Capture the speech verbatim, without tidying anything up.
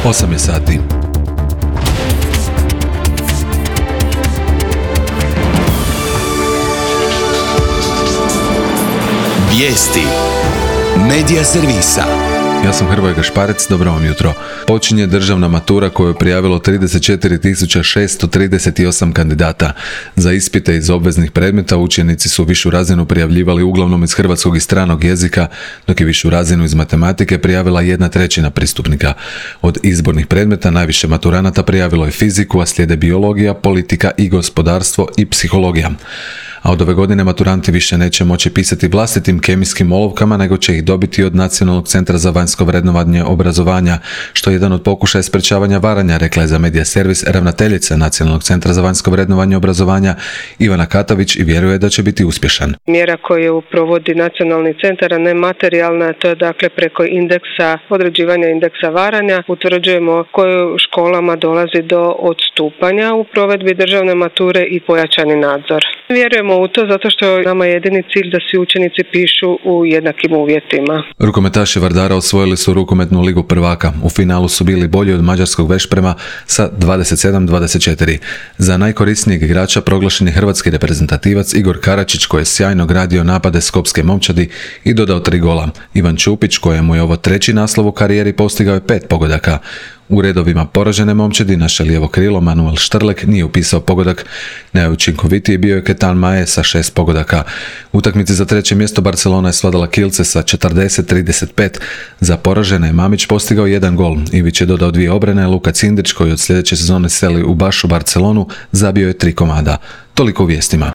osam je sati. Vijesti Medija servisa. Ja sam Hrvoje Gašparec, dobro vam jutro. Počinje državna matura koju je prijavilo trideset četiri tisuće šesto trideset osam kandidata. Za ispite iz obveznih predmeta učenici su višu razinu prijavljivali uglavnom iz hrvatskog i stranog jezika, dok je višu razinu iz matematike prijavila jedna trećina pristupnika. Od izbornih predmeta najviše maturanata prijavilo je fiziku, a slijede biologija, politika i gospodarstvo i psihologija. A od ove godine maturanti više neće moći pisati vlastitim kemijskim olovkama, nego će ih dobiti od Nacionalnog centra za vanjsko vrednovanje obrazovanja, što je jedan od pokušaja sprečavanja varanja, rekla je za Medija servis ravnateljica Nacionalnog centra za vanjsko vrednovanje obrazovanja Ivana Katavić i vjeruje da će biti uspješan. Mjera koju provodi Nacionalni centar, a ne materijalna, to je dakle preko indeksa, određivanja indeksa varanja, utvrđujemo koju školama dolazi do odstupanja u provedbi državne mature i pojačani nadzor. Vjerujemo u to zato što nama je jedini cilj da svi učenici pišu u jednakim uvjetima. Rukometaši Vardara osvojili su rukometnu ligu prvaka. U finalu su bili bolji od mađarskog Vešprema sa dvadeset sedam dvadeset četiri. Za najkorisnijeg igrača proglašen je hrvatski reprezentativac Igor Karačić, koji je sjajno gradio napade Skopske momčadi i dodao tri gola. Ivan Čupić, kojemu je ovo treći naslov u karijeri, postigao je pet pogodaka. U redovima poražene momčadi naše lijevo krilo Manuel Štrlek nije upisao pogodak. Najučinkovitiji bio je Ketan Maje sa šest pogodaka. U utakmici za treće mjesto Barcelona je svladala Kielce sa četrdeset trideset pet. Za poražene je Mamić postigao jedan gol. Ivić je dodao dvije obrane, Luka Cindrić, koji od sljedeće sezone seli u Bašu Barcelonu, zabio je tri komada. Toliko u vijestima.